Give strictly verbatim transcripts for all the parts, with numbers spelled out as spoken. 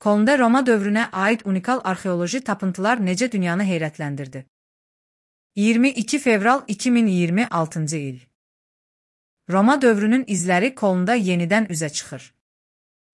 Kolnda Roma dövrünə aid unikal arxeoloji tapıntılar necə dünyanı heyrətləndirdi? iyirmi iki fevral iki min iyirmi altıncı il. Roma dövrünün izləri Kolnda yenidən üzə çıxır.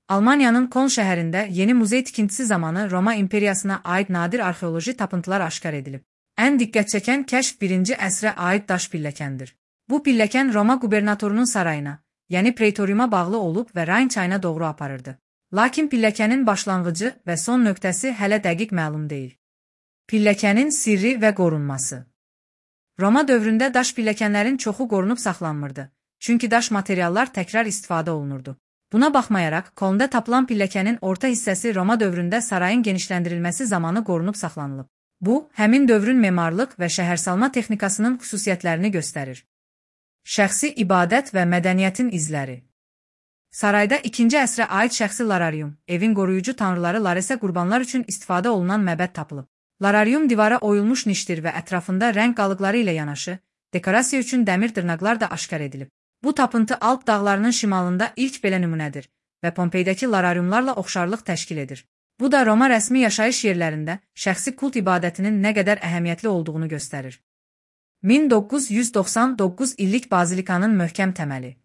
Almaniyanın Koln şəhərində yeni muzey tikintisi zamanı Roma imperiyasına aid nadir arxeoloji tapıntılar aşkar edilib. Ən diqqət çəkən kəşf birinci əsrə aid daş pilləkəndir. Bu pilləkən Roma qubernatorunun sarayına, yəni Pretoriuma bağlı olub və Rayn çayına doğru aparırdı. Lakin pilləkənin başlanğıcı və son nöqtəsi hələ dəqiq məlum deyil. Pilləkənin sirri və qorunması. Roma dövründə daş pilləkənlərin çoxu qorunub saxlanmırdı, çünki daş materiallar təkrar istifadə olunurdu. Buna baxmayaraq, Kolnda tapılan pilləkənin orta hissəsi Roma dövründə sarayın genişləndirilməsi zamanı qorunub saxlanılıb. Bu, həmin dövrün memarlıq və şəhərsalma texnikasının xüsusiyyətlərini göstərir. Şəxsi ibadət və mədəniyyətin izləri. Sarayda ikinci əsrə aid şəxsi lararium, evin qoruyucu tanrıları Laresə qurbanlar üçün istifadə olunan məbəd tapılıb. Lararium divara oyulmuş nişdir və ətrafında rəng qalıqları ilə yanaşı, dekorasiya üçün dəmir dırnaqlar da aşkar edilib. Bu tapıntı Alp dağlarının şimalında ilk belə nümunədir və Pompeydəki larariumlarla oxşarlıq təşkil edir. Bu da Roma rəsmi yaşayış yerlərində şəxsi kult ibadətinin nə qədər əhəmiyyətli olduğunu göstərir. min doqquz yüz doxsan doqquz illik bazilikanın möhkəm təməli.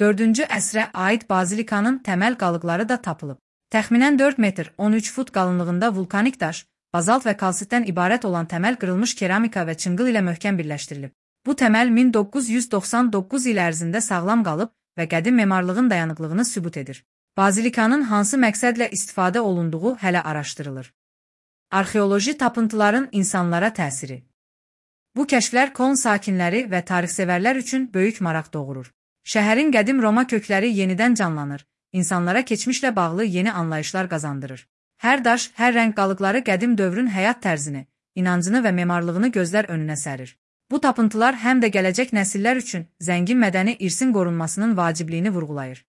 dördüncü əsrə aid bazilikanın təməl qalıqları da tapılıb. Təxminən dörd metr on üç fut qalınlığında vulkanik daş, bazalt və kalsitdən ibarət olan təməl qırılmış keramika və çınqıl ilə möhkəm birləşdirilib. Bu təməl min doqquz yüz doxsan doqquz il ərzində sağlam qalıb və qədim memarlığın dayanıqlığını sübut edir. Bazilikanın hansı məqsədlə istifadə olunduğu hələ araşdırılır. Arxeoloji tapıntıların insanlara təsiri. Bu kəşflər Koln sakinləri və tarixsevərlər üçün böyük maraq doğurur. Şəhərin qədim Roma kökləri yenidən canlanır, insanlara keçmişlə bağlı yeni anlayışlar qazandırır. Hər daş, hər rəng qalıqları qədim dövrün həyat tərzini, inancını və memarlığını gözlər önünə sərir. Bu tapıntılar həm də gələcək nəsillər üçün zəngin mədəni irsin qorunmasının vacibliyini vurğulayır.